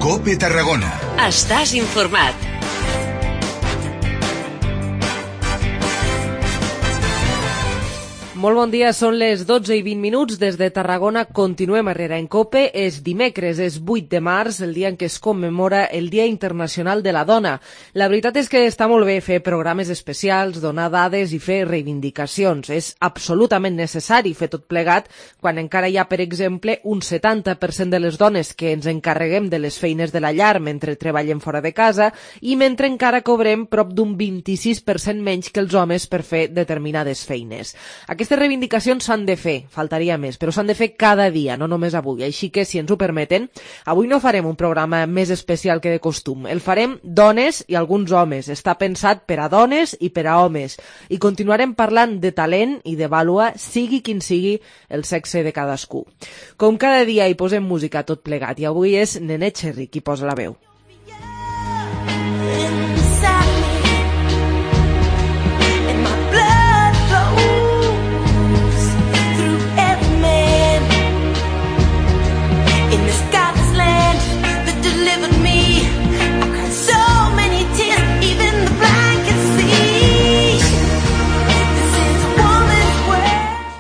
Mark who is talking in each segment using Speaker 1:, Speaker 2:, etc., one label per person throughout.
Speaker 1: COPE Tarragona.
Speaker 2: Estàs informat.
Speaker 3: Molt bon dia, són les 12:20 des de Tarragona. Continuem a Herrera en COPE. És dimecres, és 8 de març, el dia en què es commemora el Dia Internacional de la Dona. La veritat és que està molt bé fer programes especials, donar dades i fer reivindicacions. És absolutament necessari fer tot plegat quan encara hi ha, per exemple, un 70% de les dones que ens encarreguem de les feines de la llar mentre treballem fora de casa i mentre encara cobrem prop d'un 26% menys que els homes per fer determinades feines. Aquestes reivindicacions s'han de fer, faltaria més, però s'han de fer cada dia, no només avui. Així que, si ens ho permeten, avui no farem un programa més especial que de costum. El farem dones i alguns homes. Està pensat per a dones i per a homes. I continuarem parlant de talent i de vàlua, sigui quin sigui el sexe de cadascú. Com cada dia hi posem música tot plegat, i avui és Nenet Cherry qui posa la veu.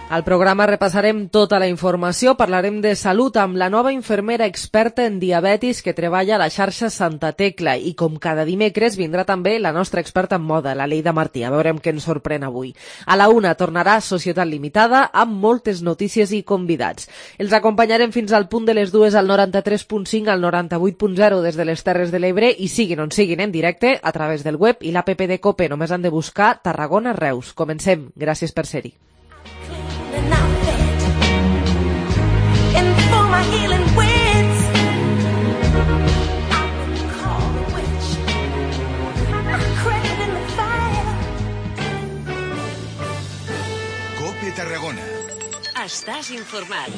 Speaker 3: Al programa repassarem tota la informació, parlarem de salut amb la nova infermera experta en diabetis que treballa a la xarxa Santa Tecla i com cada dimecres vindrà també la nostra experta en moda, la Leida Martí. A veurem què ens sorprèn avui. A la 1 tornarà Societat Limitada amb moltes notícies i convidats. Els acompanyarem fins al punt de les 2 al 93.5 al 98.0 des de les Terres de l'Ebre i siguin on siguin en directe a través del web i l'app de COPE. Només han de buscar Tarragona Reus. Comencem. Gràcies per ser-hi.
Speaker 1: COPE Tarragona.
Speaker 2: Estàs informat.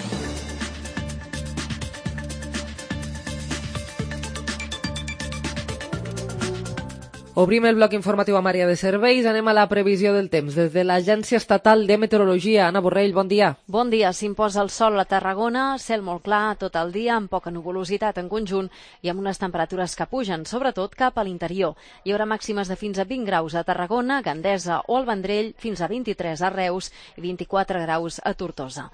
Speaker 3: Obrim el bloc informatiu amb àrea de serveis. Anem a la previsió del temps. Des de l'Agència Estatal de Meteorologia, Anna Borrell, bon dia.
Speaker 4: Bon dia. S'imposa el sol a Tarragona, cel molt clar tot el dia, amb poca nuvolositat en conjunt i amb unes temperatures que pugen, sobretot cap a l'interior. Hi haurà màximes de fins a 20 graus a Tarragona, Gandesa o al Vendrell, fins a 23 a Reus i 24 graus a Tortosa.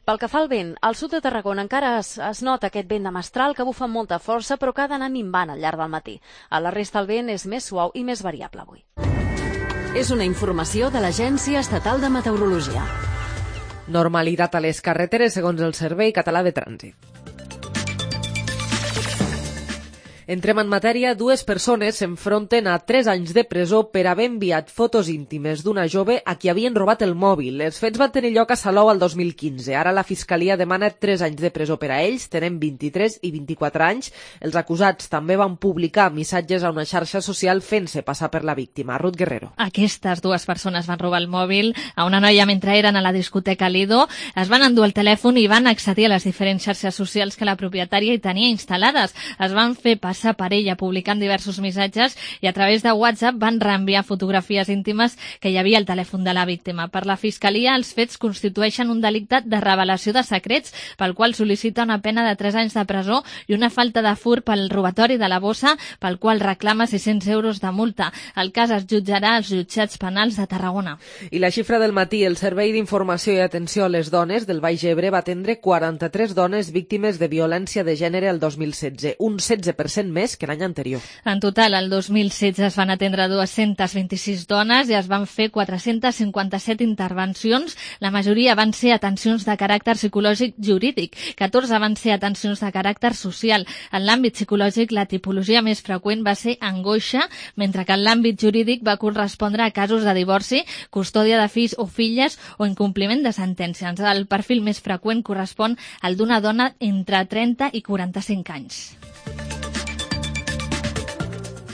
Speaker 4: Pel que fa al vent, al sud de Tarragona encara es nota aquest vent de mestral que bufa amb molta força però que ha d'anar minvant al llarg del matí. A la resta el vent és més suau i més variable avui.
Speaker 2: És una informació de l'Agència Estatal de Meteorologia.
Speaker 3: Normalitat a les carreteres segons el Servei Català de Trànsit. Entrem en matèria. 2 persones s'enfronten a 3 anys de presó per haver enviat fotos íntimes d'una jove a qui havien robat el mòbil. Els fets van tenir lloc a Salou el 2015. Ara la Fiscalia demana 3 anys de presó per a ells. Tenen 23 i 24 anys. Els acusats també van publicar missatges a una xarxa social fent-se passar per la víctima. Ruth Guerrero.
Speaker 5: Aquestes 2 persones van robar el mòbil a una noia mentre eren a la discoteca Lido. Es van endur el telèfon i van accedir a les diferents xarxes socials que la propietària hi tenia instal·lades. Es van fer passar per ella publicant diversos missatges i a través de WhatsApp van reenviar fotografies íntimes que hi havia al telèfon de la víctima. Per la Fiscalia, els fets constitueixen un delicte de revelació de secrets pel qual sol·licita una pena de 3 anys de presó i una falta de furt pel robatori de la bossa pel qual reclama 600 euros de multa. El cas es jutjarà als jutjats penals de Tarragona.
Speaker 3: I la xifra del matí, el Servei d'Informació i Atenció a les Dones del Baix Ebre va atendre 43 dones víctimes de violència de gènere el 2016, un 16% més que l'any anterior.
Speaker 5: En total, el 2016 es van atendre 226 dones i es van fer 457 intervencions. La majoria van ser atencions de caràcter psicològic jurídic, 14 van ser atencions de caràcter social. En l'àmbit psicològic, la tipologia més freqüent va ser angoixa, mentre que en l'àmbit jurídic va correspondre a casos de divorci, custòdia de fills o filles o incompliment de sentències. El perfil més freqüent correspon al d'una dona entre 30 i 45 anys.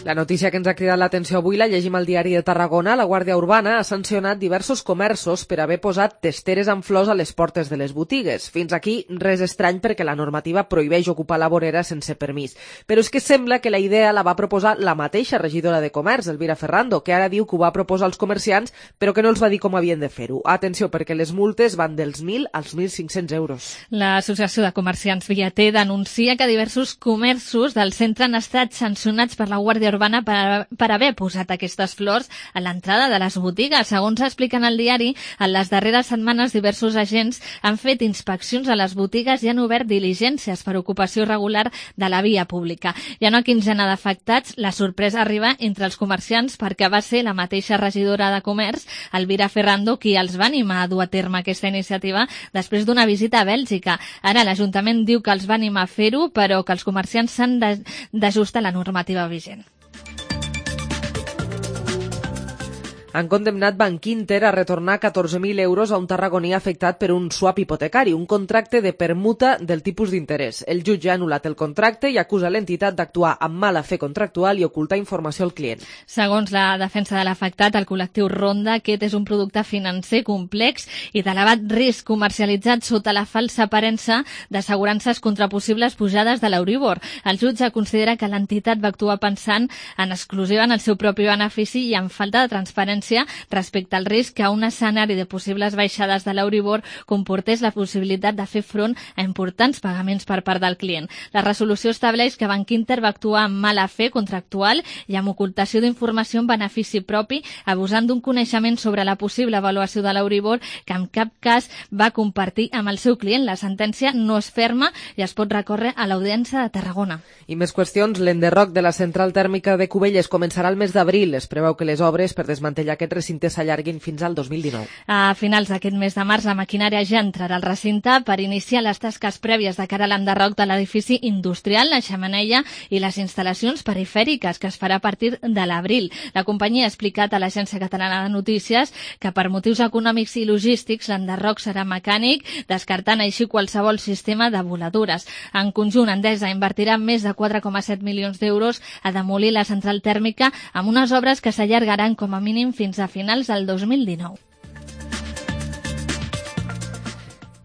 Speaker 3: La notícia que ens ha cridat l'atenció avui la llegim al diari de Tarragona. La Guàrdia Urbana ha sancionat diversos comerços per haver posat testeres amb flors a les portes de les botigues. Fins aquí res estrany perquè la normativa prohibeix ocupar la vorera sense permís. Però és que sembla que la idea la va proposar la mateixa regidora de Comerç, Elvira Ferrando, que ara diu que ho va proposar als comerciants però que no els va dir com havien de fer-ho. Atenció, perquè les multes van dels 1.000 als 1.500 euros.
Speaker 5: L'Associació de Comerciants Viater denuncia que diversos comerços del centre han estat sancionats per la Guàrdia Urbana per haver posat aquestes flors a l'entrada de les botigues. Segons expliquen al diari, en les darreres setmanes diversos agents han fet inspeccions a les botigues i han obert diligències per ocupació irregular de la via pública. Hi ha una quinzena d'afectats. La sorpresa arriba entre els comerciants perquè va ser la mateixa regidora de Comerç, Elvira Ferrando, qui els va animar a dur a terme aquesta iniciativa després d'una visita a Bèlgica. Ara l'Ajuntament diu que els va animar a fer-ho, però que els comerciants s'han d'ajustar a la normativa vigent.
Speaker 3: Han condemnat Bankinter a retornar 14.000 euros a un tarragoní afectat per un swap hipotecari, un contracte de permuta del tipus d'interès. El jutge ha anul·lat el contracte i acusa l'entitat d'actuar amb mala fe contractual i ocultar informació al client.
Speaker 5: Segons la defensa de l'afectat, el col·lectiu Ronda, aquest és un producte financer complex i d'elevat risc comercialitzat sota la falsa aparença d'assegurances contra possibles pujades de l'Euribor. El jutge considera que l'entitat va actuar pensant en exclusiva en el seu propi benefici i en falta de transparència respecte al risc que un escenari de possibles baixades de l'Euribor comportés la possibilitat de fer front a importants pagaments per part del client. La resolució estableix que Bankinter va actuar amb mala fe contractual i amb ocultació d'informació en benefici propi, abusant d'un coneixement sobre la possible avaluació de l'Euribor que en cap cas va compartir amb el seu client. La sentència no és ferma i es pot recórrer a l'Audiència de Tarragona.
Speaker 3: I més qüestions. L'enderroc de la central tèrmica de Cubelles començarà el mes d'abril. Es preveu que les obres per desmantellar aquest recinte s'allarguin fins al 2019.
Speaker 5: A finals d'aquest mes de març, la maquinària ja entrarà al recinte per iniciar les tasques prèvies de cara a l'enderroc de l'edifici industrial, la xemeneia i les instal·lacions perifèriques, que es farà a partir de l'abril. La companyia ha explicat a l'Agència Catalana de Notícies que per motius econòmics i logístics l'enderroc serà mecànic, descartant així qualsevol sistema de voladures. En conjunt, Endesa invertirà més de 4,7 milions d'euros a demolir la central tèrmica amb unes obres que s'allargaran com a mínim fins a finals del 2019.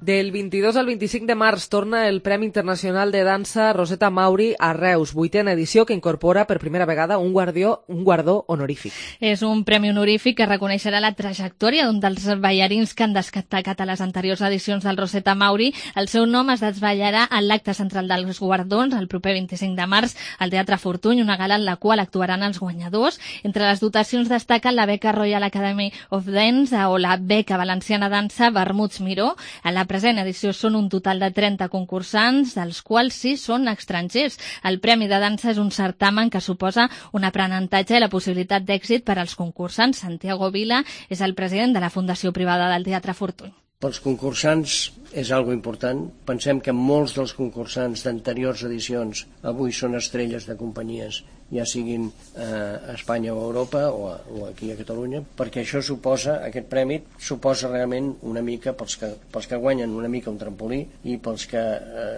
Speaker 3: Del 22 al 25 de març torna el Premi Internacional de Dansa Rosetta Mauri a Reus, 8a edició, que incorpora per primera vegada un guardó honorífic.
Speaker 5: És un premi honorífic que reconeixerà la trajectòria d'un dels ballarins que han destacat a les anteriors edicions del Rosetta Mauri. El seu nom es desvetllarà en l'acte central dels guardons el proper 25 de març al Teatre Fortuny, una gala en la qual actuaran els guanyadors. Entre les dotacions destaquen la beca Royal Academy of Dance o la beca valenciana dansa Vermuts Miró. A la present edició són un total de 30 concursants, dels quals 6 són estrangers. El Premi de Dansa és un certamen que suposa un aprenentatge i la possibilitat d'èxit per als concursants. Santiago Vila és el president de la Fundació Privada del Teatre Fortuny.
Speaker 6: Pels concursants és algo important. Pensem que molts dels concursants d'anteriors edicions avui són estrelles de companyies, ja siguin a Espanya o a Europa o aquí a Catalunya, perquè això suposa, aquest premi suposa realment una mica, pels que guanyen una mica un trampolí, i pels que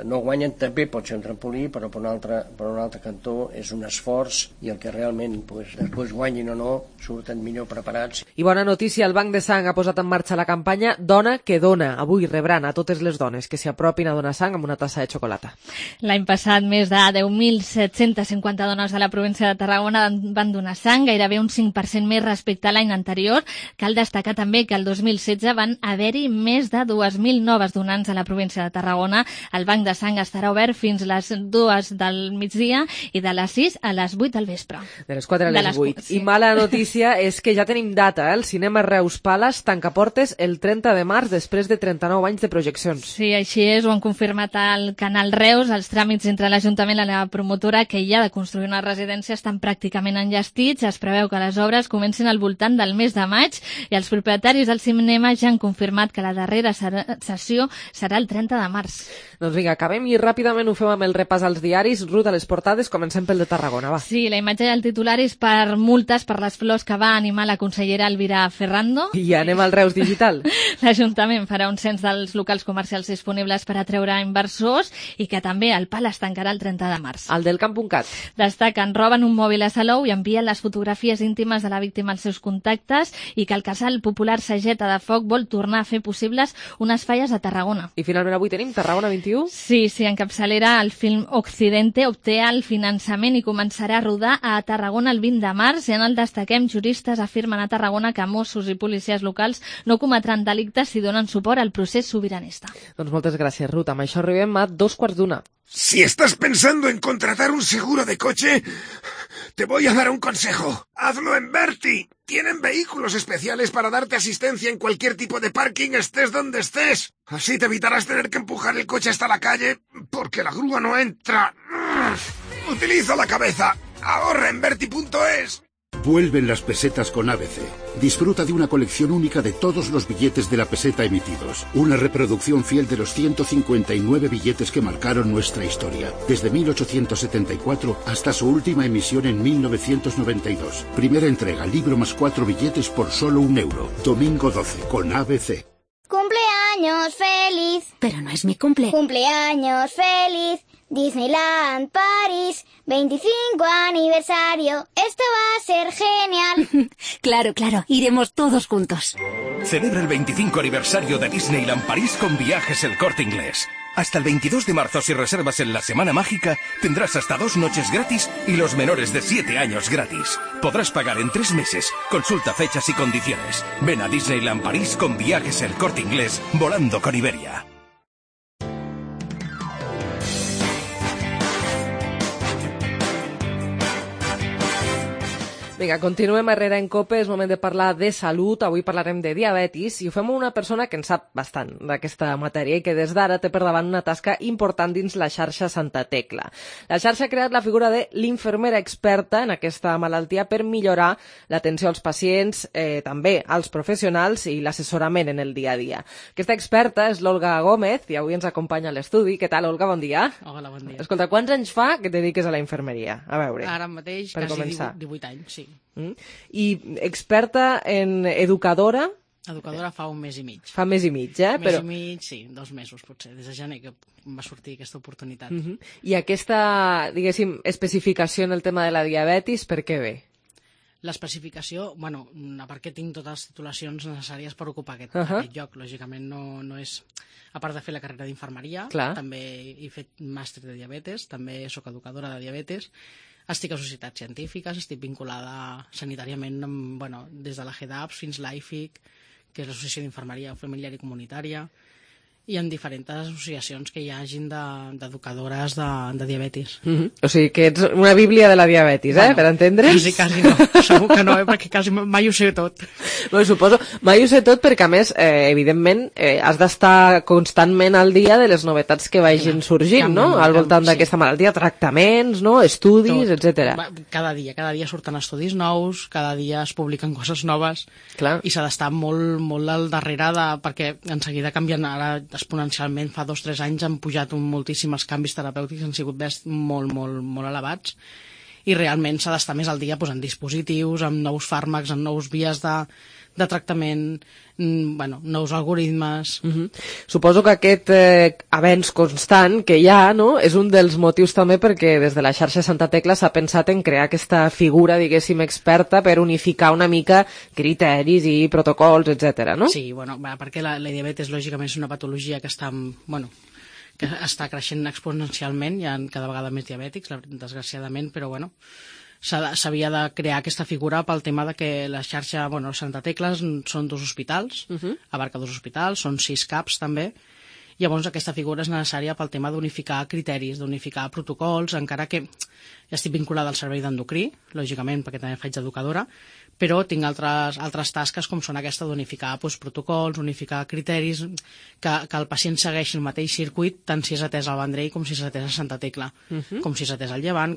Speaker 6: no guanyen també pot ser un trampolí, però per un altre cantó és un esforç, i el que realment després guanyin o no surten millor preparats.
Speaker 3: I bona notícia, el Banc de Sang ha posat en marxa la campanya Dona que dona. Avui rebran a totes les dones que s'hi apropin a donar sang amb una tassa de xocolata.
Speaker 5: L'any passat més de 10.750 dones de la província de Tarragona van donar sang, gairebé un 5% més respecte a l'any anterior. Cal destacar també que el 2016 van haver-hi més de 2.000 noves donants a la província de Tarragona. El Banc de Sang estarà obert fins les 2 del migdia i de les 6 a les 8 del vespre.
Speaker 3: De les 4 a les 8.
Speaker 5: Sí.
Speaker 3: I mala notícia és que ja tenim data, El cinema Reus Palace tanca portes el 30 de març després de 39 anys de projeccions.
Speaker 5: Sí, així és, ho han confirmat al Canal Reus. Els tràmits entre l'Ajuntament i la promotora que hi ha de construir una residència estan pràcticament enllestits. Es preveu que les obres comencin al voltant del mes de maig i els propietaris del cinema ja han confirmat que la darrera sessió serà el 30 de març.
Speaker 3: Doncs vinga, acabem i ràpidament ho fem amb el repàs als diaris. Ruth, a les portades, comencem pel de Tarragona, va.
Speaker 5: Sí, la imatge del titular és per multes per les flors que va animar la consellera Elvira Ferrando.
Speaker 3: I anem al Reus Digital.
Speaker 5: L'Ajuntament l'Ajuntament farà un cens dels locals comercials disponibles per atreure inversors i que també el PAL es tancarà el 30 de març.
Speaker 3: El del Camp.cat.
Speaker 5: Destaquen, roben un mòbil a Salou i envien les fotografies íntimes de la víctima als seus contactes i que el casal popular Sageta de Foc vol tornar a fer possibles unes falles a Tarragona.
Speaker 3: I finalment avui tenim Tarragona 21?
Speaker 5: Sí, en capçalera el film Occidente obté el finançament i començarà a rodar a Tarragona el 20 de març i en el destaquem juristes afirmen a Tarragona que Mossos i policies locals no cometran delictes si donen suport al procés sobiranista.
Speaker 3: Doncs moltes gràcies, Ruth. Amb això arribem a 2:15.
Speaker 1: Si estás pensando en contratar un seguro de coche, te voy a dar un consejo. Hazlo en Berti. Tienen vehículos especiales para darte asistencia en cualquier tipo de parking, estés donde estés. Así te evitarás tener que empujar el coche hasta la calle porque la grúa no entra. Utiliza la cabeza. Ahorra en Berti.es.
Speaker 7: Vuelven las pesetas con ABC. Disfruta de una colección única de todos los billetes de la peseta emitidos. Una reproducción fiel de los 159 billetes que marcaron nuestra historia. Desde 1874 hasta su última emisión en 1992. Primera entrega, libro más 4 billetes por solo €1. Domingo 12, con ABC.
Speaker 8: Cumpleaños feliz.
Speaker 2: Pero no es mi cumple.
Speaker 8: Cumpleaños feliz. Disneyland París, 25 aniversario. Esto va a ser genial.
Speaker 2: Claro, iremos todos juntos.
Speaker 9: Celebra el 25 aniversario de Disneyland París con Viajes El Corte Inglés. Hasta el 22 de marzo, si reservas en la Semana Mágica, tendrás hasta 2 noches gratis y los menores de 7 años gratis. Podrás pagar en 3 meses. Consulta fechas y condiciones. Ven a Disneyland París con Viajes El Corte Inglés, volando con Iberia.
Speaker 3: Vinga, continuem a Herrera en Cope, és moment de parlar de salut. Avui parlarem de diabetis i ho fem amb una persona que en sap bastant d'aquesta matèria i que des d'ara té per davant una tasca important dins la xarxa Santa Tecla. La xarxa ha creat la figura de l'infermera experta en aquesta malaltia per millorar l'atenció als pacients, també als professionals i l'assessorament en el dia a dia. Aquesta experta és l'Olga Gómez i avui ens acompanya a l'estudi. Què tal, Olga? Bon dia.
Speaker 10: Hola, bon dia.
Speaker 3: Escolta, quants anys fa que et dediques a la infermeria? A veure,
Speaker 10: ara mateix
Speaker 3: per
Speaker 10: quasi
Speaker 3: començar.
Speaker 10: 18 anys, sí.
Speaker 3: I experta en educadora?
Speaker 10: Educadora fa un mes i mig.
Speaker 3: Fa mes i mig,
Speaker 10: Un mes i mig, sí, 2 mesos potser, des de gener que em va sortir aquesta oportunitat.
Speaker 3: I aquesta, diguéssim, especificació en el tema de la diabetis, per què ve?
Speaker 10: L'especificació, bueno, a part que tinc totes les titulacions necessàries per ocupar aquest lloc, lògicament no és... A part de fer la carrera d'infermeria, també he fet màster de diabetes, també sóc educadora de diabetes, estic a societats científiques, estic vinculada sanitàriament des de la GEDAPS fins l'AIFIC, que és l'Associació d'Infermeria Familiar i Comunitària, i en diferents associacions que hi hagin d'educadores de diabetis.
Speaker 3: O sigui que ets una bíblia de la diabetis, per entendre's?
Speaker 10: Quasi no, segur que no, perquè quasi mai ho sé tot.
Speaker 3: Bueno, suposo, mai ho sé tot perquè a més, evidentment, has d'estar constantment al dia de les novetats que vagin sorgint, no? Al voltant d'aquesta malaltia, tractaments, no? Estudis, etc.
Speaker 10: Cada dia surten estudis nous, cada dia es publiquen coses noves, i s'ha d'estar molt al darrere perquè en seguida canvien. Ara exponencialment, fa 2 o 3 anys han pujat moltíssim els canvis terapèutics, han sigut molt elevats, i realment s'ha d'estar més al dia en dispositius, amb nous fàrmacs, amb nous vies de tractament, nous algoritmes.
Speaker 3: Suposo que aquest avenç constant que hi ha, no?, és un dels motius també perquè des de la xarxa Santa Tecla s'ha pensat en crear aquesta figura, diguéssim, experta per unificar una mica criteris i protocols, etc. no?
Speaker 10: Sí, perquè la diabetes lògicament és una patologia que està creixent exponencialment, hi ha cada vegada més diabètics, desgraciadament, però s'havia de crear aquesta figura pel tema de que la xarxa, Santa Tecla són 2 hospitals, abarca 2 hospitals, són 6 CAPs també. Llavors aquesta figura és necessària pel tema d'unificar criteris, d'unificar protocols, encara que ja estic vinculada al servei d'endocrí, lògicament perquè també faig d'educadora, però tinc altres tasques com són aquesta d'unificar protocols, unificar criteris, que el pacient segueixi el mateix circuit tant si és atès al Vendrell com si és atès a Santa Tecla, com si és atès al Llevant,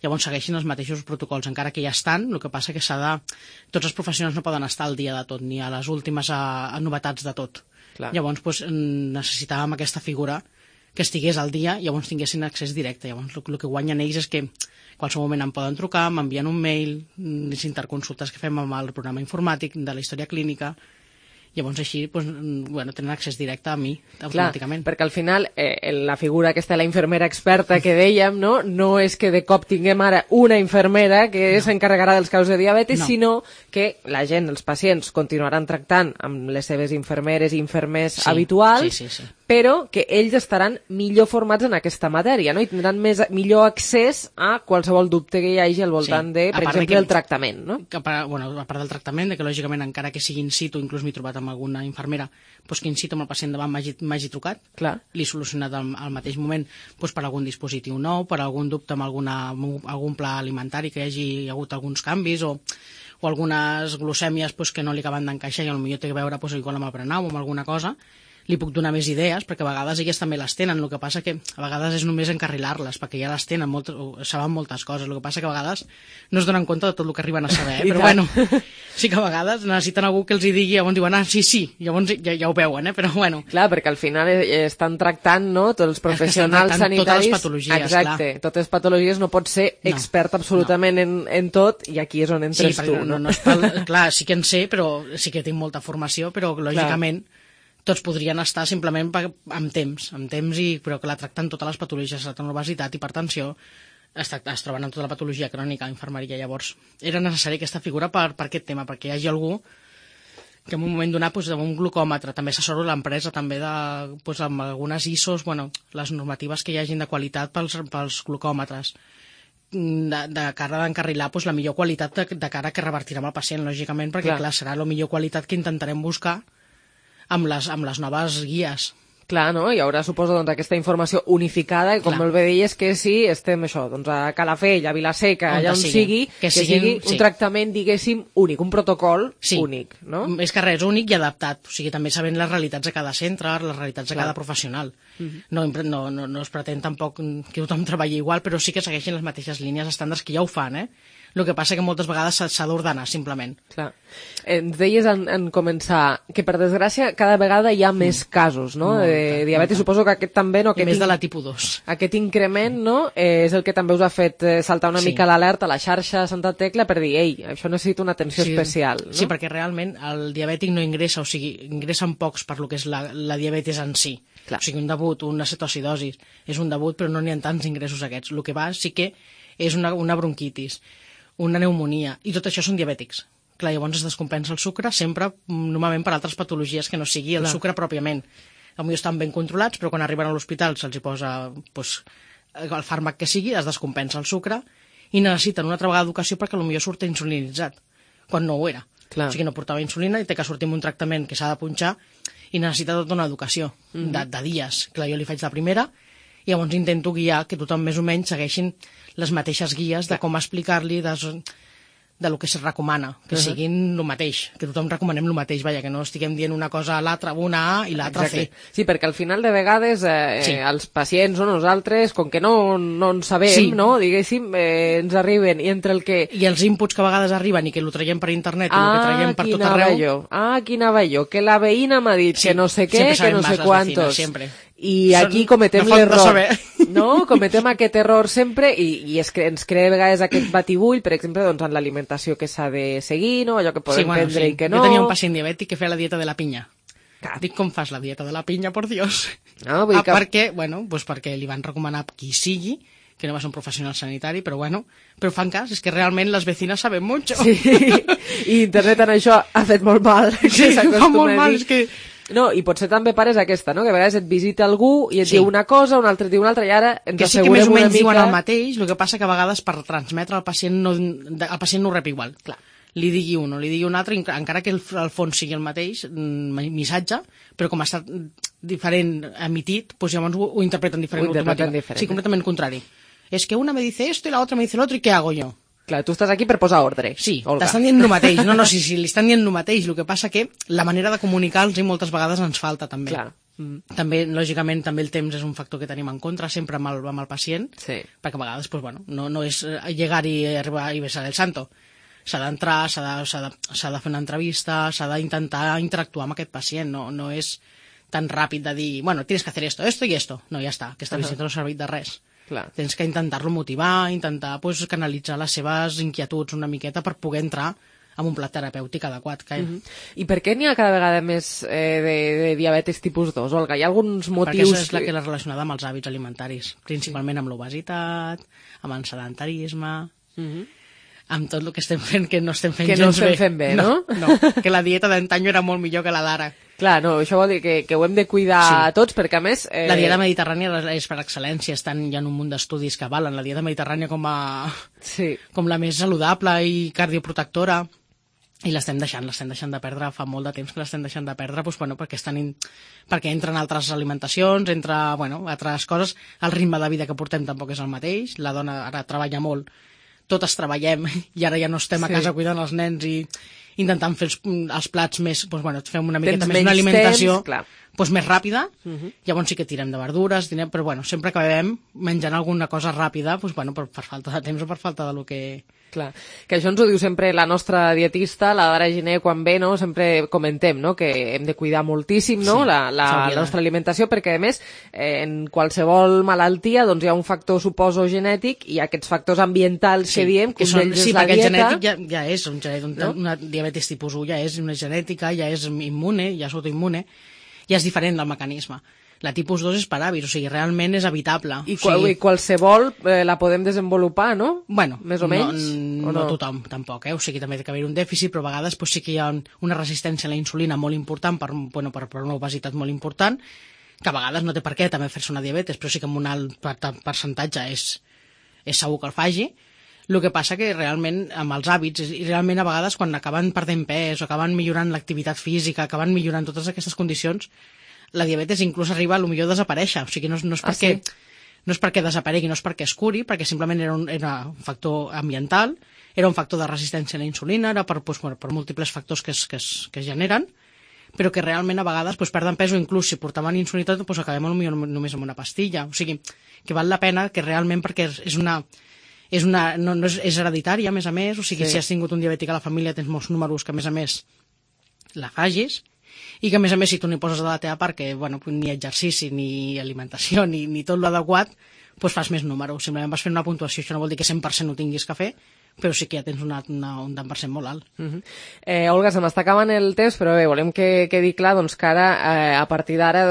Speaker 10: llavors segueixin els mateixos protocols, encara que ja estan, el que passa que tots els professionals no poden estar al dia de tot, ni a les últimes novetats de tot. Llavors necessitàvem aquesta figura que estigués al dia i llavors tinguessin accés directe. Llavors el que guanyen ells és que qualsevol moment em poden trucar, m'envien un mail, les interconsultes que fem amb el programa informàtic de la història clínica, Llavors així tenen accés directe a mi automàticament.
Speaker 3: Clar, perquè al final la figura aquesta de la infermera experta que dèiem, no és que de cop tinguem ara una infermera que s'encarregarà dels casos de diabetis, sinó que la gent, els pacients, continuaran tractant amb les seves infermeres i infermers habituals, però que ells estaran millor formats en aquesta matèria, no? I tindran millor accés a qualsevol dubte que hi hagi al voltant de, per exemple, el tractament, no?
Speaker 10: A part del tractament, que lògicament encara que sigui in situ, inclús m'he trobat amb alguna infermera que in situ amb el pacient davant m'hagi trucat, l'he solucionat al mateix moment per algun dispositiu nou, per algun dubte amb algun pla alimentari que hi hagi hagut alguns canvis o algunes glucèmies que no li acaben d'encaixar i potser té a veure igual amb el prenau o amb alguna cosa. Li puc donar més idees, perquè a vegades elles també les tenen, el que passa que a vegades és només encarrilar-les, perquè ja les tenen, saben moltes coses, el que passa que a vegades no es donen compte de tot el que arriben a saber, però bueno, sí que a vegades necessiten algú que els hi digui, llavors diuen, sí, llavors ja ho veuen, però bueno.
Speaker 3: Clar, perquè al final estan tractant, no?, tots els professionals sanitaris.
Speaker 10: Totes les patologies,
Speaker 3: exacte,
Speaker 10: clar.
Speaker 3: Totes les patologies, no pots ser expert absolutament en tot, i aquí és on entres tu, no?
Speaker 10: Clar, sí que en sé, però sí que tinc molta formació, però lògicament tots podrien estar simplement amb temps, però clar, tractant totes les patologies, tractant obesitat, hipertensió, es troben amb tota la patologia crònica a infermeria. Llavors era necessari aquesta figura per aquest tema, perquè hi hagi algú que en un moment donat, amb un glucòmetre, també assessoro l'empresa també amb algunes ISOs, les normatives que hi hagin de qualitat pels glucòmetres, de cara d'encarrilar la millor qualitat de cara que revertirà amb el pacient, lògicament, perquè clar, serà la millor qualitat que intentarem buscar amb les noves guies.
Speaker 3: Clar, no? Hi haurà, suposo, aquesta informació unificada, i com molt bé deies, que si estem a Calafell, a Vilaseca, allà on sigui, que sigui un tractament, diguéssim, únic, un protocol únic, no?
Speaker 10: És que res, únic i adaptat, o sigui, també sabent les realitats de cada centre, les realitats de cada professional. No es pretén tampoc que tothom treballi igual, però sí que segueixin les mateixes línies estàndards, que ja ho fan, El que passa que moltes vegades s'ha d'ordenar, simplement.
Speaker 3: Clar. Ens deies en començar que, per desgràcia, cada vegada hi ha més casos, no?, de diabetis. Suposo que aquest també, no?
Speaker 10: I més de la tipus 2.
Speaker 3: Aquest increment, no?, és el que també us ha fet saltar una mica l'alerta a la xarxa Santa Tecla per dir, ei, això necessita una atenció especial, no?
Speaker 10: Sí, perquè realment el diabètic no ingressa, o sigui, ingressen pocs per lo que és la diabetis en si. Clar. O sigui, un debut, una cetoacidosi, és un debut, però no n'hi ha tants ingressos aquests. El que va sí que és una bronquitis, una pneumonia, i tot això són diabètics. Clar, llavors es descompensa el sucre sempre, normalment per altres patologies que no sigui el sucre pròpiament. Potser estan ben controlats, però quan arriben a l'hospital se'ls hi posa el fàrmac que sigui, es descompensa el sucre, i necessiten una altra vegada d'educació perquè potser surt insulinitzat, quan no ho era. Clar. O sigui, no portava insulina i té que sortir amb un tractament que s'ha de punxar i necessita tota una educació de dies. Clar, jo li faig la primera, i llavors intento guiar que tothom més o menys segueixin les mateixes guies de com explicar-li del que es recomana, que siguin el mateix, que tothom recomanem el mateix, que no estiguem dient una cosa a l'altra, una A i l'altra C.
Speaker 3: Sí, perquè al final de vegades els pacients o nosaltres, com que no en sabem, no, diguéssim, ens arriben, i entre el que...
Speaker 10: I els inputs que a vegades arriben i que ho traiem per internet i el que traiem per tot arreu...
Speaker 3: Aquí anava jo, que la veïna m'ha dit que no sé què, que no sé quantos... I aquí cometem l'error, no? Cometem aquest error sempre i ens crea a vegades aquest batibull, per exemple, en l'alimentació que s'ha de seguir, no? Allò que podem prendre i que no.
Speaker 10: Jo tenia un pacient diabètic que feia la dieta de la pinya. Dic, com fas la dieta de la pinya, por Dios?
Speaker 3: No, vull que...
Speaker 10: perquè li van recomanar qui sigui, que no va ser un professional sanitari, però fan cas, és que realment les vecinas saben mucho.
Speaker 3: Sí, i internet en això ha fet molt mal.
Speaker 10: Sí, fa molt mal, és que...
Speaker 3: No, i potser també pares aquesta, no?, que a vegades et visita algú i et diu una cosa, un altre et diu una altra, i ara ens assegurem una mica... Que sí que més o menys
Speaker 10: diuen el mateix, el que passa que a vegades per transmetre al pacient el pacient no ho rep igual. Clar, li digui un o li digui un altre, encara que el fons sigui el mateix missatge, però com ha estat diferent emitit, doncs llavors ho interpreten diferent. Sí, completament contrari. És que una me dice esto y la otra me dice lo otro, ¿y qué hago yo?
Speaker 3: Clar, tu estàs aquí per posar ordre.
Speaker 10: Sí, t'estan dient el mateix. No, sí, li estan dient el mateix. El que passa que la manera de comunicar-los moltes vegades ens falta, també.
Speaker 3: Clar.
Speaker 10: També, lògicament, també el temps és un factor que tenim en contra, sempre amb el pacient, perquè a vegades, no és llegar i arribar i besar el santo. S'ha d'entrar, s'ha de fer una entrevista, s'ha d'intentar interactuar amb aquest pacient. No és tan ràpid de dir, tienes que hacer esto y esto. No, ja està, aquesta visita no ha servit de res.
Speaker 3: Clar.
Speaker 10: Tens que intentar-lo motivar, intentar canalitzar les seves inquietuds una miqueta per poder entrar amb un plat terapèutic adequat.
Speaker 3: I per què n'hi ha cada vegada més de diabetis tipus 2, Olga? Hi ha alguns motius...
Speaker 10: Perquè és la que és relacionada amb els hàbits alimentaris, principalment amb l'obesitat, amb el sedentarisme, amb tot el que estem fent, que no estem fent gens bé.
Speaker 3: Que no estem fent bé, no?
Speaker 10: No, que la dieta d'antany era molt millor que la d'ara.
Speaker 3: Clar, no, això vol dir que ho hem de cuidar tots, perquè a més...
Speaker 10: La dieta mediterrània és per excel·lència, hi ha un munt d'estudis que avalen la dieta mediterrània com la més saludable i cardioprotectora, i l'estem deixant de perdre, fa molt de temps que l'estem deixant de perdre, perquè entren altres alimentacions, altres coses, el ritme de vida que portem tampoc és el mateix, la dona ara treballa molt, totes treballem i ara ja no estem a casa cuidant els nens i intentant fer els plats més, fem una miqueta més una alimentació més ràpida, llavors sí que tirem de verdures, però sempre acabem menjant alguna cosa ràpida per falta de temps o per falta de lo que...
Speaker 3: Clar, que això ens ho diu sempre la nostra dietista, la Dara Giner, quan ve, no? Sempre comentem, no?, que hem de cuidar moltíssim, no?, la nostra alimentació, perquè, a més, en qualsevol malaltia, doncs hi ha un factor, suposo, genètic, i aquests factors ambientals que diem, que un d'ells és la dieta...
Speaker 10: Sí, perquè el genètic ja és, una diabetis tipus 1 ja és una genètica, ja és immune, ja és autoimmune, ja és diferent del mecanisme. La tipus 2 és per hàbits, o sigui, realment és evitable.
Speaker 3: I qualsevol la podem desenvolupar, no? Més o menys?
Speaker 10: No tothom, tampoc, O sigui, també ha d'haver un dèficit, però a vegades sí que hi ha una resistència a la insulina molt important per una obesitat molt important, que a vegades no té per què també fer-se una diabetes, però sí que amb un alt percentatge és segur que el faci. El que passa que realment amb els hàbits, i realment a vegades quan acaben perdent pes o acaben millorant l'activitat física, acaben millorant totes aquestes condicions, la diabetes inclús arriba a desaparèixer, o sigui, no és perquè desaparegui, no és perquè es curi, perquè simplement era un factor ambiental, era un factor de resistència a la insulina, era per múltiples factors que es generen, però que realment a vegades perden pes o inclús si portaven insulina acabem només amb una pastilla, o sigui, que val la pena que realment, perquè és hereditària, a més, o sigui, si has tingut un diabètic a la família tens molts números que, a més, la facis, i que, a més, si tu n'hi poses de la teva part, que ni exercici, ni alimentació, ni tot l'adequat, fas més números. Simplement vas fent una puntuació, això no vol dir que 100% ho tinguis que fer, però sí que ja tens un tant per cent molt alt.
Speaker 3: Olga, se m'està acabant el temps, però bé, volem que quedi clar que ara, a partir d'ara,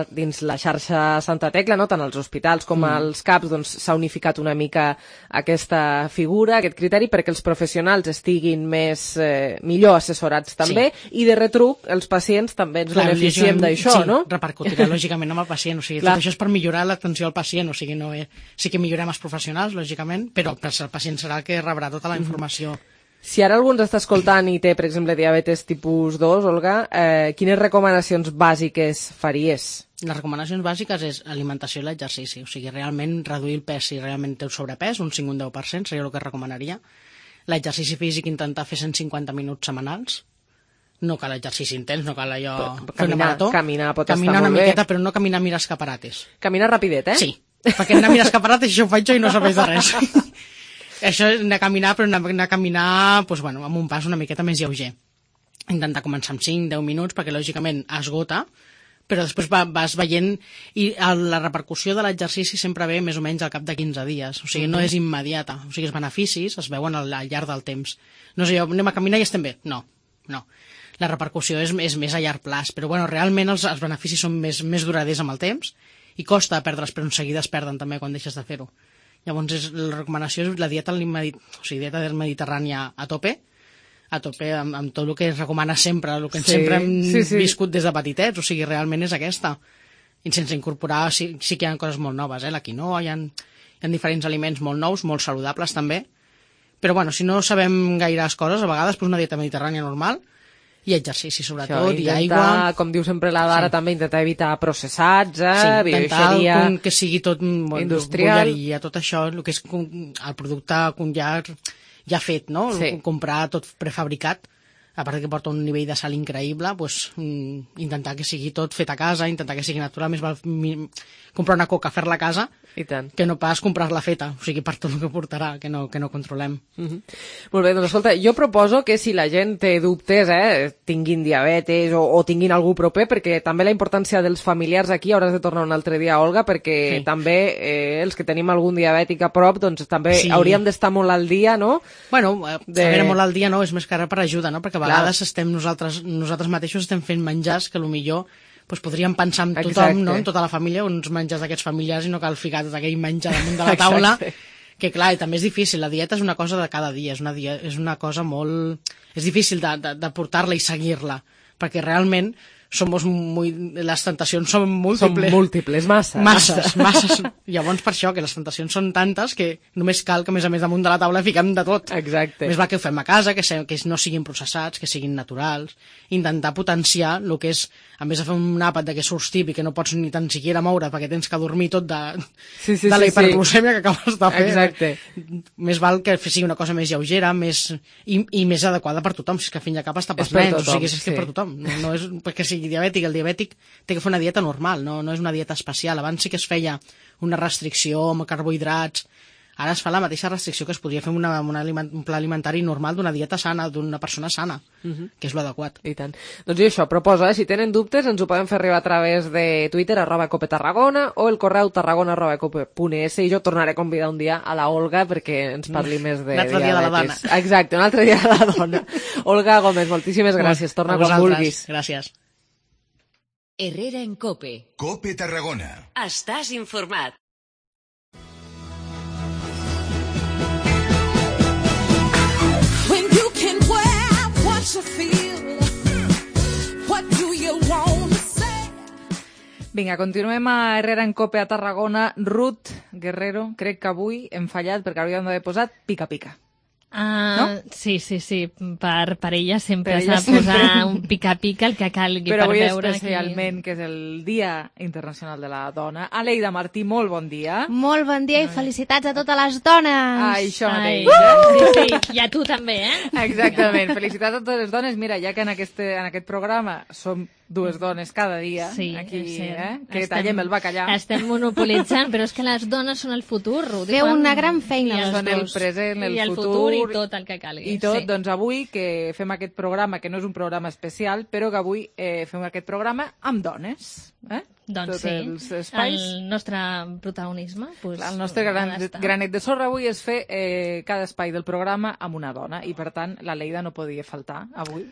Speaker 3: dins la xarxa Santa Tecla, tant als hospitals com als CAPs, s'ha unificat una mica aquesta figura, aquest criteri, perquè els professionals estiguin millor assessorats també, i de retruc els pacients també ens beneficiem d'això, no?
Speaker 10: Sí, repercutirà lògicament amb el pacient, o sigui, tot això és per millorar l'atenció al pacient, o sigui, sí que millorem els professionals, lògicament, però el pacient serà que rebrà tota la informació.
Speaker 3: Si ara algú ens està escoltant i té, per exemple, diabetes tipus 2, Olga, quines recomanacions bàsiques faries?
Speaker 10: Les recomanacions bàsiques és alimentació i l'exercici, o sigui, realment reduir el pes si realment té sobrepès, un 5 o un 10% seria el que recomanaria. L'exercici físic, intentar fer 150 minuts setmanals, no cal exercici intens, no cal allò fer una marató.
Speaker 3: Caminar pot estar molt bé.
Speaker 10: Caminar una miqueta, però no caminar a mirar escaparates.
Speaker 3: Caminar rapidet,
Speaker 10: Sí, perquè anar a mirar escaparates, això ho faig jo i no serveix de res. Això és anar a caminar, però anar a caminar amb un pas una miqueta més lleuger. Intentar començar amb 5-10 minuts, perquè lògicament esgota, però després vas veient, i la repercussió de l'exercici sempre ve més o menys al cap de 15 dies, o sigui, no és immediata, o sigui, els beneficis es veuen al llarg del temps. No és allò, anem a caminar i estem bé, no. La repercussió és més a llarg plaç, però realment els beneficis són més duraders amb el temps, i costa perdre'ls, però en seguida es perden també quan deixes de fer-ho. Llavors, la recomanació és la dieta mediterrània a tope amb tot el que es recomana sempre, el que sempre hem viscut des de petitets, o sigui, realment és aquesta. I sense incorporar, sí que hi ha coses molt noves, la quinoa, hi ha diferents aliments molt nous, molt saludables també, però si no sabem gaires coses, a vegades una dieta mediterrània normal, i exercici, sobretot, i aigua.
Speaker 3: Com diu sempre la Dara, també intentar evitar processats,
Speaker 10: bioixeria, que sigui tot industrial, bolleria, tot això, el que és el producte ja fet, no? Comprar tot prefabricat, a part que porta un nivell de sal increïble, doncs, intentar que sigui tot fet a casa, intentar que sigui natural, més val comprar una coca, fer-la a casa,
Speaker 3: I tant.
Speaker 10: que no pas comprar-la feta, o sigui, per tot el que portarà, que no controlem.
Speaker 3: Molt bé, doncs escolta, jo proposo que si la gent té dubtes, tinguin diabetes o tinguin algú proper, perquè també la importància dels familiars aquí, hauràs de tornar un altre dia, Olga, perquè també els que tenim algun diabètic a prop, doncs també hauríem d'estar molt al dia, no?
Speaker 10: Bueno, a veure, molt al dia no, és més que ara per ajuda, no? Perquè a vegades nosaltres mateixos estem fent menjars que potser podríem pensar en tothom, no? En tota la família, uns menjars d'aquests familiars, i no cal ficar tot aquell menjar damunt de la taula, que clar, també és difícil, la dieta és una cosa de cada dia, és una cosa molt... És difícil de portar-la i seguir-la, perquè realment les tentacions són múltiples.
Speaker 3: Són múltiples,
Speaker 10: masses. Llavors, per això, que les tentacions són tantes que només cal que, a més damunt de la taula fiquem de tot.
Speaker 3: Exacte.
Speaker 10: Més va que ho fem a casa, que no siguin processats, que siguin naturals, intentar potenciar el que és, a més de fer un àpat de que surts tip i que no pots ni tan siquiera moure perquè tens que dormir tot de la hiperglucèmia que acabes de fer.
Speaker 3: Exacte.
Speaker 10: Més val que sigui una cosa més lleugera i més adequada per tothom, si és que al fin i al cap està pels nens, o sigui, és per tothom. No és perquè sigui diabètic, el diabètic té que fer una dieta normal, no és una dieta especial. Abans sí que es feia una restricció amb carbohidrats, ara es fa la mateixa restricció que es podria fer un pla alimentari normal d'una dieta sana, d'una persona sana, que és l'adequat.
Speaker 3: I tant. Doncs jo això, proposo, si tenen dubtes ens ho poden fer arribar a través de Twitter, @copetarragona, o el correu tarragona@cope.es, i jo tornaré a convidar un dia a la Olga perquè ens parli més de diabetes.
Speaker 10: Un altre dia de la dona.
Speaker 3: Exacte, un altre dia de la dona. Olga Gómez, moltíssimes gràcies. Torna quan vulguis.
Speaker 10: Gràcies.
Speaker 2: Herrera en Cope.
Speaker 9: Cope Tarragona.
Speaker 2: Estàs informat.
Speaker 11: When you can wear what you feel, what do you want to say?
Speaker 12: Vinga, continuem a Herrera en Cope a Tarragona. Ruth Guerrero, crec que avui hem fallat perquè hauríem d'haver posat pica-pica.
Speaker 5: No? Sí, per ella sempre s'ha de posar un pica-pica el que calgui
Speaker 12: però
Speaker 5: per
Speaker 12: avui
Speaker 5: veure
Speaker 12: especialment, que és el Dia Internacional de la Dona. Aleida Martí, molt bon dia.
Speaker 13: Molt bon dia i felicitats a totes les dones.
Speaker 12: Això mateix.
Speaker 5: Sí, i a tu també,
Speaker 12: Exactament, felicitats a totes les dones. Mira, ja que en aquest programa som dues dones cada dia, aquí, que tallem el bacallà.
Speaker 5: Estem monopolitzant, però és que les dones són el futur.
Speaker 13: Feu una gran feina,
Speaker 12: són el present,
Speaker 5: el futur i tot el que calgui.
Speaker 12: I tot, doncs avui que fem aquest programa, que no és un programa especial, però que avui fem aquest programa amb dones.
Speaker 5: Doncs
Speaker 12: tots els espais.
Speaker 5: El nostre protagonisme.
Speaker 12: El nostre granet de sorra avui és fer cada espai del programa amb una dona, i per tant la Leida no podia faltar avui.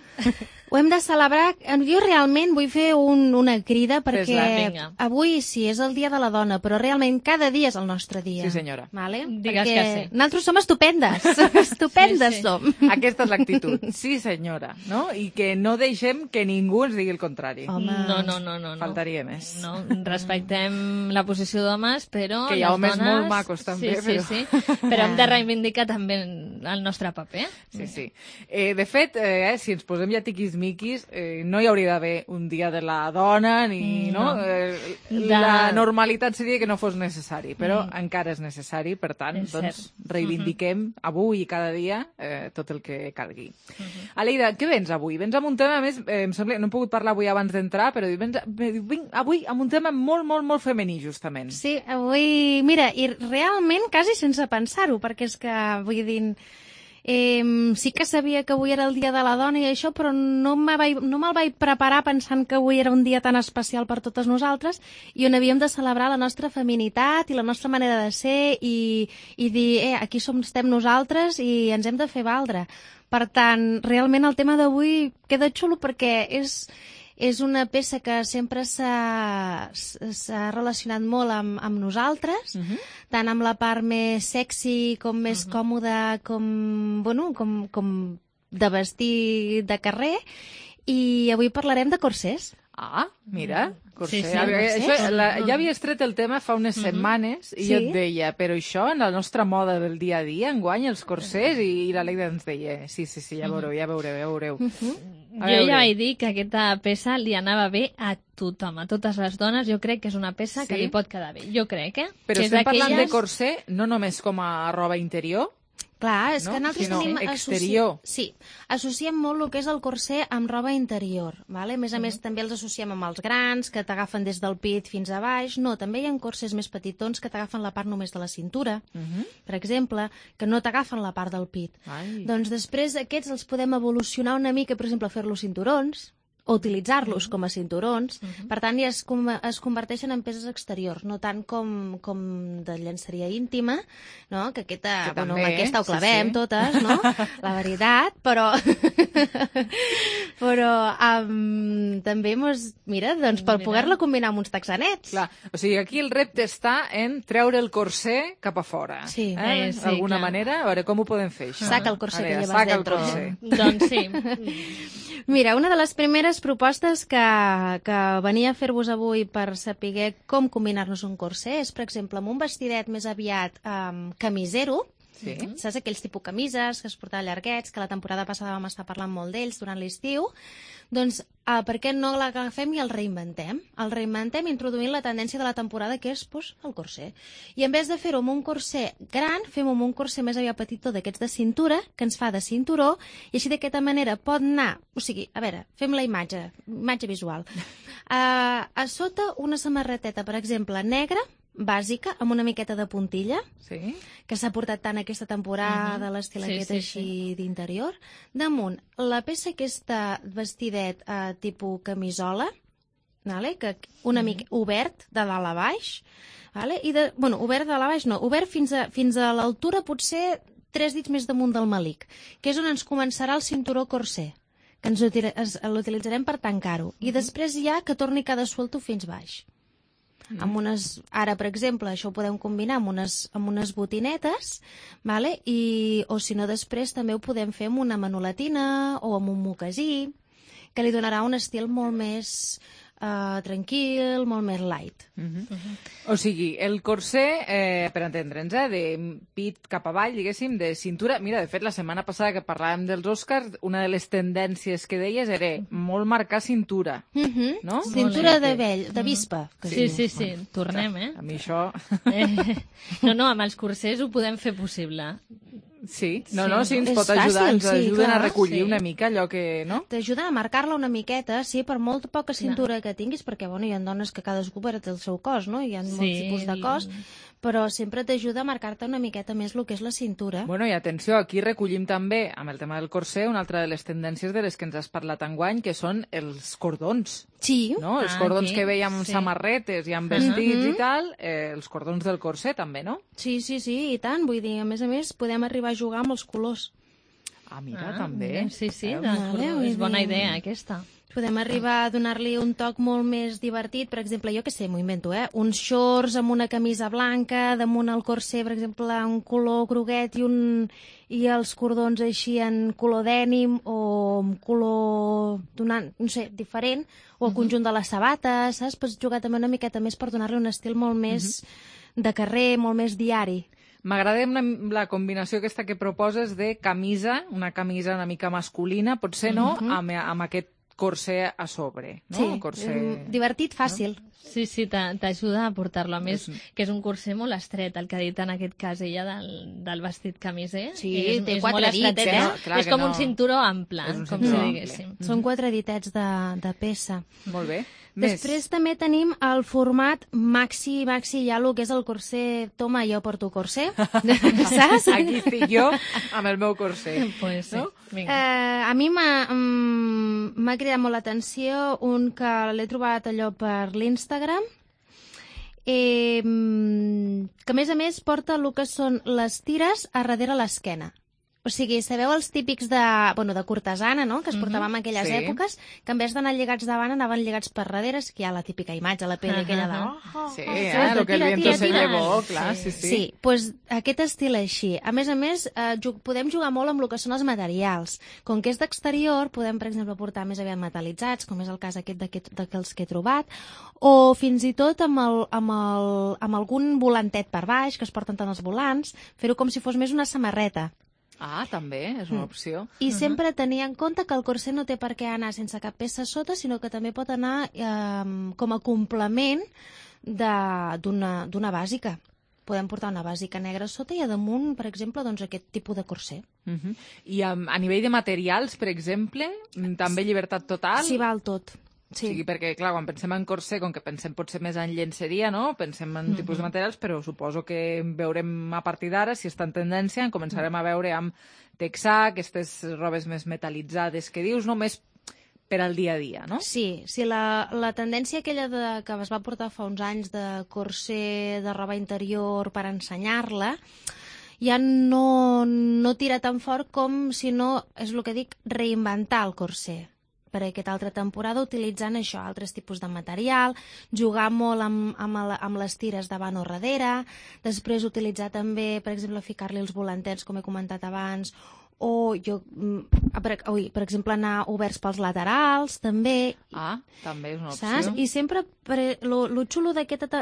Speaker 13: Ho hem de celebrar. Jo realment vull fer una crida perquè avui sí, és el Dia de la Dona, però realment cada dia és el nostre dia.
Speaker 12: Sí, senyora.
Speaker 13: Vale?
Speaker 5: Digues que sí.
Speaker 13: Nosaltres som estupendes. Estupendes som.
Speaker 12: Aquesta és l'actitud. Sí, senyora. No? I que no deixem que ningú ens digui el contrari.
Speaker 13: Home.
Speaker 5: No.
Speaker 12: Faltaria més.
Speaker 5: No, respectem la posició d'homes, però
Speaker 12: que hi ha homes molt macos també.
Speaker 5: Sí. Però hem de reivindicar també el nostre paper.
Speaker 12: Sí. De fet, si ens posem ja tiquis-miquis, no hi hauria d'haver un dia de la dona, ni no. La normalitat seria que no fos necessari, però encara és necessari, per tant, doncs reivindiquem avui i cada dia tot el que calgui. Aleida, què vens avui? Vens amb un tema, a més, em sembla, no he pogut parlar avui abans d'entrar, però vinc avui amb un tema molt, molt, molt femení, justament.
Speaker 13: Sí, avui, mira, i realment quasi sense pensar-ho, perquè és que, vull dir, sí que sabia que avui era el Dia de la Dona i això, però no me'l vaig preparar pensant que avui era un dia tan especial per totes nosaltres i on havíem de celebrar la nostra feminitat i la nostra manera de ser i dir, aquí estem nosaltres i ens hem de fer valdre. Per tant, realment el tema d'avui queda xulo perquè és una peça que sempre s'ha relacionat molt amb nosaltres, tant amb la part més sexy com més còmoda, com de vestir de carrer, i avui parlarem de corsers.
Speaker 12: Ah, mira, corser.
Speaker 5: Sí,
Speaker 12: ja havies tret el tema fa unes setmanes i jo et deia, però això en la nostra moda del dia a dia enguany els corsers, i la Leida ens deia, sí, ja veureu.
Speaker 5: Jo ja vaig dir que aquesta peça li anava bé a tothom, a totes les dones. Jo crec que és una peça que li pot quedar bé. Jo crec,
Speaker 12: Però estem parlant de corser no només com a roba interior?
Speaker 13: Clar, és que nosaltres tenim...
Speaker 12: exterior.
Speaker 13: Sí, associem molt el que és el corser amb roba interior, vale? A més, també els associem amb els grans, que t'agafen des del pit fins a baix. No, també hi ha corsers més petitons que t'agafen la part només de la cintura, per exemple, que no t'agafen la part del pit. Doncs després aquests els podem evolucionar una mica, per exemple, fer-los cinturons, o utilitzar-los com a cinturons. Per tant, ja es converteixen en peces exteriors, no tant com de llenceria íntima, no? Que aquesta, amb aquesta ho clavem totes, no? La veritat, però també mira, doncs per poder-la combinar amb uns texanets.
Speaker 12: Clar, o sigui, aquí el repte està en treure el corser cap a fora.
Speaker 13: Sí.
Speaker 12: D'alguna manera, a veure, com ho podem fer, això?
Speaker 13: Saca el corser que llevas dentro.
Speaker 5: Doncs sí.
Speaker 13: Mira, una de les primeres propostes que venia a fer-vos avui per saber com combinar-nos un corser és, per exemple, amb un vestidet més aviat camisero.
Speaker 12: Sí.
Speaker 13: Saps aquells tipus camises que es portaven llarguets, que la temporada passada vam estar parlant molt d'ells durant l'estiu? Doncs per què no l'agafem i el reinventem? El reinventem introduint la tendència de la temporada, que és el corser. I en vez de fer-ho amb un corser gran, fem-ho amb un corser més aviat petitó d'aquests de cintura, que ens fa de cinturó, i així d'aquesta manera pot anar... O sigui, a veure, fem la imatge visual. A sota una samarreteta, per exemple, negra, bàsica, amb una miqueta de puntilla, que s'ha portat tant aquesta temporada, l'estil aquest així d'interior. Damunt, la peça aquesta vestidet tipus camisola, que una mica obert de dalt a baix, i obert de dalt a baix no, obert fins a l'altura potser 3 dits més damunt del melic, que és on ens començarà el cinturó corser, que l'utilitzarem per tancar-ho, i després ja que torni cada suelto fins baix. Ara, per exemple, això ho podem combinar amb unes botinetes, o si no, després també ho podem fer amb una manolatina o amb un mocasí, que li donarà un estil molt més tranquil, molt més light.
Speaker 12: O sigui, el corser, per entendre'ns, de pit cap avall, diguéssim, de cintura... Mira, de fet, la setmana passada que parlàvem dels Oscars, una de les tendències que deies era molt marcar cintura, no?
Speaker 13: Cintura de vispa.
Speaker 5: Sí, tornem,
Speaker 12: A mi això...
Speaker 5: No, amb els corsers ho podem fer possible.
Speaker 12: Sí, ens pot ajudar, ens ajuden a recollir una mica allò que... no?
Speaker 13: T'ajuden a marcar-la una miqueta, sí, per molt poca cintura que tinguis, perquè hi ha dones que cadascú té el seu cos, no? Hi ha molts tipus de cos, però sempre t'ajuda a marcar-te una miqueta més el que és la cintura.
Speaker 12: Bueno, i atenció, aquí recollim també, amb el tema del corser, una altra de les tendències de les que ens has parlat enguany, que són els cordons.
Speaker 13: Sí.
Speaker 12: No? Els cordons que veiem amb samarretes i amb vestits i tal, els cordons del corser també, no?
Speaker 13: Sí, i tant. Vull dir, a més, podem arribar a jugar amb els colors.
Speaker 12: Mira, també.
Speaker 5: Sí, és bona idea, aquesta.
Speaker 13: Podem arribar a donar-li un toc molt més divertit. Per exemple, jo què sé, m'ho invento, uns shorts amb una camisa blanca, damunt el corser, per exemple, un color groguet i els cordons així en color dènim o en color diferent, o el conjunt de les sabates, saps? Pots jugar també una miqueta més per donar-li un estil molt més de carrer, molt més diari.
Speaker 12: M'agrada la combinació aquesta que proposes de camisa, una camisa una mica masculina, potser no, amb aquest corser a sobre, no?
Speaker 13: Sí, corser... divertit, fàcil.
Speaker 12: No?
Speaker 5: Sí, t'ajuda a portar-lo. A més, que és un corser molt estret, el que ha dit en aquest cas ella del vestit camiser.
Speaker 13: Sí,
Speaker 5: té
Speaker 13: 4 dits,
Speaker 5: és com un cinturó ample, com si diguéssim.
Speaker 13: Són 4 ditets de peça.
Speaker 12: Molt bé.
Speaker 13: Després també tenim el format maxi, ja el que és el corser. Toma, jo porto corser. Saps?
Speaker 12: Aquí estic jo amb el meu corser.
Speaker 5: Pues sí.
Speaker 12: No?
Speaker 13: A mi m'ha cridat molt l'atenció un que l'he trobat allò per l'Instagram, que a més porta el que són les tires a darrere l'esquena. O sigui, sabeu els típics de cortesana, no?, que es portaven en aquelles èpoques, que en vez d'anar lligats davant anaven lligats per darrere, que hi ha la típica imatge, la pell aquella de...
Speaker 12: Sí, el que el viento se llevó, clar, sí.
Speaker 13: Sí, doncs aquest estil així. A més, podem jugar molt amb el que són els materials. Com que és d'exterior, podem, per exemple, portar més aviat metalitzats, com és el cas aquest d'aquells que he trobat, o fins i tot amb algun volantet per baix, que es porten tant els volants, fer-ho com si fos més una samarreta.
Speaker 12: També, és una opció.
Speaker 13: I sempre tenir en compte que el corser no té per què anar sense cap peça sota, sinó que també pot anar com a complement d'una bàsica. podem portar una bàsica negra a sota i a damunt, per exemple, doncs aquest tipus de corser.
Speaker 12: I a nivell de materials, per exemple, també llibertat total?
Speaker 13: Sí, val tot. Sí.
Speaker 12: O sigui, perquè, clar, quan pensem en corser, com que pensem potser més en llenceria, no? Pensem en tipus de materials, però suposo que veurem a partir d'ara, si està en tendència, en començarem a veure amb texà, aquestes robes més metal·litzades que dius, no? Més per al dia a dia, no?
Speaker 13: Sí, la tendència aquella que es va portar fa uns anys de corser de roba interior per ensenyar-la, ja no tira tan fort com, si no, és el que dic, reinventar el corser per aquesta altra temporada, utilitzant això, altres tipus de material, jugar molt amb les tires davant o darrere, després utilitzar també, per exemple, ficar-li els volantets, com he comentat abans, o per exemple, anar oberts pels laterals, també.
Speaker 12: També és una opció.
Speaker 13: Saps? I sempre, lo xulo d'aquesta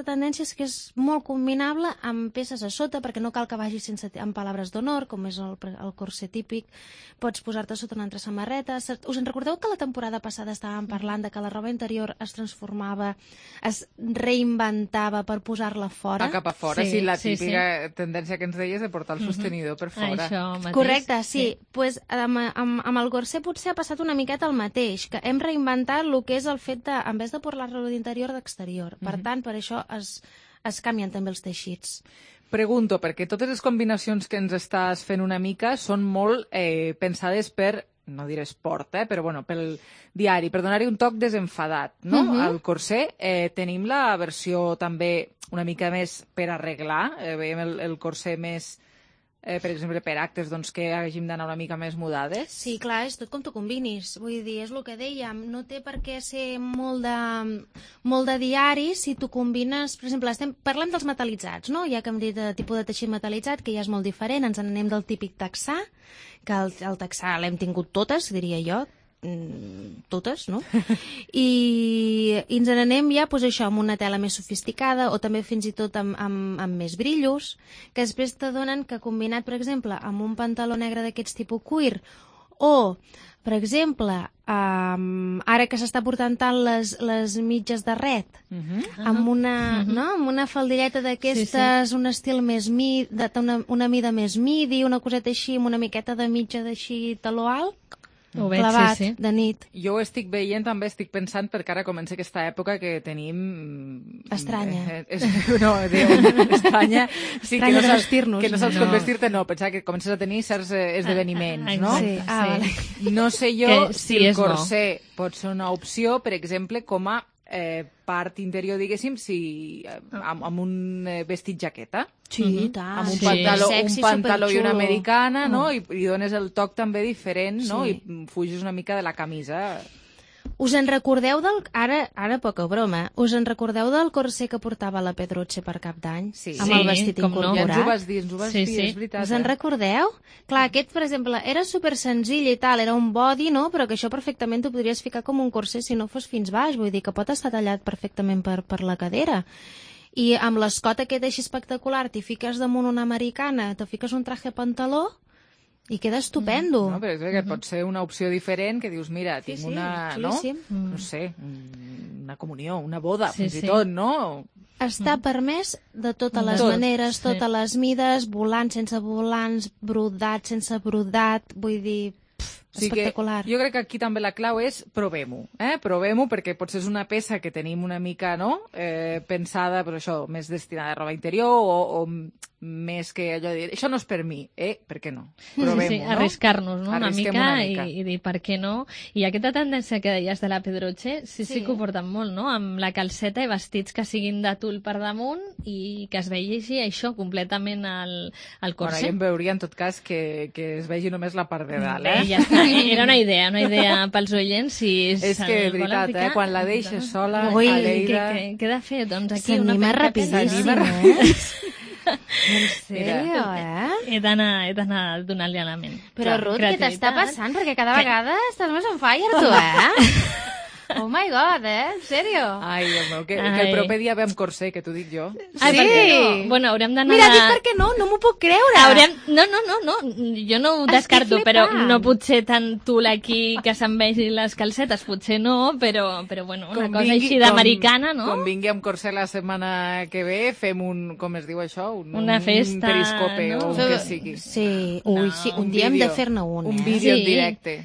Speaker 13: tendència és que és molt combinable amb peces a sota, perquè no cal que vagi amb palabres d'honor, com és el corser típic. Pots posar-te sota una altra samarreta. Us en recordeu que la temporada passada estàvem parlant de que la roba interior es transformava, es reinventava per posar-la fora?
Speaker 12: Cap a fora, sí, la típica tendència que ens deies de portar el sostenidor per fora.
Speaker 13: Això mateix. Correcte, sí. Pues, amb el corser potser ha passat una miqueta el mateix, que hem reinventat el que és el fet de, en vez de portar-lo d'interior, d'exterior. Per tant, per això es canvien també els teixits.
Speaker 12: Pregunto, perquè totes les combinacions que ens estàs fent una mica són molt pensades per, no diré esport, però bueno, pel diari, per donar-hi un toc desenfadat, no? Al corser tenim la versió també una mica més per arreglar, veiem el corser més, per exemple, per actes, doncs, que hàgim d'anar una mica més mudades.
Speaker 13: Sí, clar, és tot com tu combinis. Vull dir, és el que dèiem, no té per què ser molt de diari si tu combines... Per exemple, parlem dels metal·litzats, no? Ja que hem dit de tipus de teixit metal·litzat, que ja és molt diferent, ens n'anem del típic texà, que el texà l'hem tingut totes, diria jo, totes, no? I ens n'anem ja, doncs això, amb una tela més sofisticada o també fins i tot amb més brillos, que després t'adonen que combinat, per exemple, amb un pantaló negre d'aquests tipus cuir o, per exemple, ara que s'està portant tant les mitges de ret, amb una faldilleta d'aquestes, un estil més una mida més midi, una coseta així, amb una miqueta de mitja d'així taló alt, clavat, de nit.
Speaker 12: Jo ho estic veient, també estic pensant, perquè ara comença aquesta època que tenim...
Speaker 13: Estranya.
Speaker 12: No, estranya. Sí,
Speaker 13: estranya de vestir-nos.
Speaker 12: Que no saps com vestir-te, no. Pensar que comences a tenir certs esdeveniments, no?
Speaker 13: Sí. Vale.
Speaker 12: No sé jo si el corser pot ser una opció, per exemple, com a part interior, diguéssim, amb un vestit jaqueta.
Speaker 13: Sí, tant.
Speaker 12: Amb un pantaló i una americana, no? I dones el toc també diferent, no? I fugis una mica de la camisa.
Speaker 13: Us en recordeu ara poca broma, us en recordeu del corser que portava la Pedroche per Cap d'Any?
Speaker 12: Sí.
Speaker 13: Amb el vestit incorporat?
Speaker 12: Ja ens ho vas dir, és veritat.
Speaker 13: Us en recordeu? Clar, aquest, per exemple, era super senzill i tal, era un body, no? Però que això perfectament t'ho podries ficar com un corser si no fos fins baix, vull dir que pot estar tallat perfectament per la cadera. I amb l'escot aquest així espectacular, t'hi fiques damunt una americana, te fiques un traje pantaló i queda estupendo.
Speaker 12: No, però és que pot ser una opció diferent, que dius, mira, tinc una, no? No sé, una comunió, una boda, fins i tot, no?
Speaker 13: Està permès de totes les maneres, totes les mides, volant sense volants, brodat sense brodat, vull dir... espectacular.
Speaker 12: Jo crec que aquí també la clau és provem-ho, provem-ho, perquè potser és una peça que tenim una mica, no?, pensada, però això, més destinada a roba interior o més que allò de dir, això no és per mi, per què no? Provem-ho, no?
Speaker 5: Arriscar-nos, no?, una mica i dir per què no. I aquesta tendència que deies de la Pedroche, sí que ho porten molt, no?, amb la calceta i vestits que siguin de tul per damunt i que es vegi això completament al corset.
Speaker 12: Bueno, jo em veuria, en tot cas, que es vegi només la part de dalt,
Speaker 5: Ja està. Era una idea pels oients.
Speaker 12: És que, de veritat, quan la deixes sola,
Speaker 5: Ui,
Speaker 12: a Lleida...
Speaker 5: Què he de fer? Doncs aquí
Speaker 13: s'anima rapidíssim, En sèrio,
Speaker 5: He d'anar donant-li a la ment.
Speaker 13: Però, Ruth, què t'està passant? Perquè cada vegada estàs més on fire, tu, Oh my god, en sèrio?
Speaker 12: Ai, Déu meu, que el proper dia ve amb corser, que t'ho dic jo.
Speaker 5: Ai, per què no? Bueno, haurem d'anar...
Speaker 13: Mira, dic per què no m'ho puc creure.
Speaker 5: No, jo no ho descarto, però no potser tant tul aquí que se'n vegi les calcetes, potser no, però bueno, una cosa així d'americana, no?
Speaker 12: Com vingui amb corser la setmana que ve, fem com es diu això?
Speaker 5: Una festa,
Speaker 12: un periscope, no? O el que sigui.
Speaker 13: Sí, sí, un dia hem de fer-ne un.
Speaker 12: Un vídeo en directe.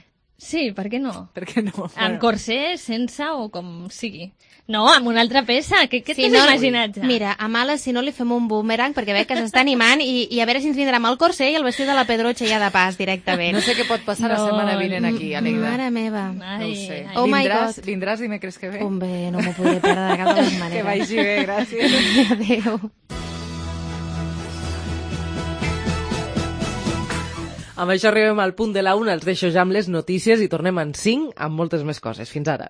Speaker 5: Sí, per què no?
Speaker 12: Per què no?
Speaker 5: Amb corser, sense o com sigui. No, amb una altra peça. Què t'has imaginat ja?
Speaker 13: Mira, a Males, si no, li fem un boomerang perquè veig que s'està animant i a veure si ens vindrà amb el corser i el vestit de la Pedrotxa ja de pas directament.
Speaker 12: No sé què pot passar la setmana vinent aquí, Alegda.
Speaker 13: Mare meva.
Speaker 12: No ho sé.
Speaker 13: Oh my God.
Speaker 12: Vindràs dimecres que ve?
Speaker 13: Hombre, no m'ho podré perdre de cap de les maneres.
Speaker 12: Que vagi bé, gràcies.
Speaker 13: Adéu.
Speaker 3: Amb això arribem al punt de la 1, els deixo ja amb les notícies i tornem en 5 amb moltes més coses. Fins ara.